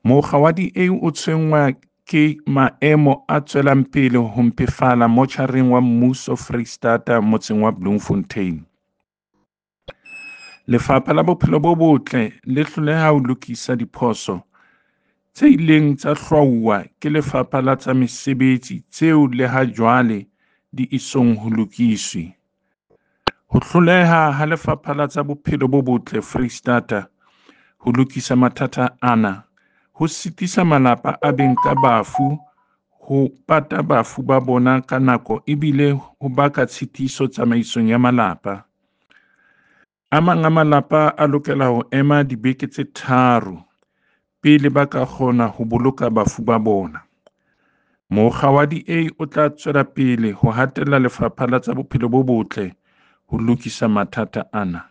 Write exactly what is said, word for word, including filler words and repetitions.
Mokga wa D A o tshwenngwa ke maemo a tswelang pele ho mpefala motjhareng wa mmuso Foreisetata motseng wa Bloemfontein. Lefapha la Bophelo bo Botle le hloleha ho lokisa diphoso tse ileng tsa hlwauwa ke Lefapha la tsa Mesebetsi tseo le ha jwale di esong ho lokiswe. Ho hloleha ha Lefapha la tsa Bophelo bo Botle Foreisetata ho lokisa mathata ana ho sitisa malapa a beng ka bafu ho pata bafu ba bona ka nako ebile ho baka tshitiso tsamaisong ya malapa. A mang a malapa a lokela ho ema dibeke tse tharo pele ba ka kgona ho boloka bafu ba bona. Mokga wa D A o tla tswela pele ho hatella Lefapha la tsa Bophelo bo Botle ho lokisa mathata ana.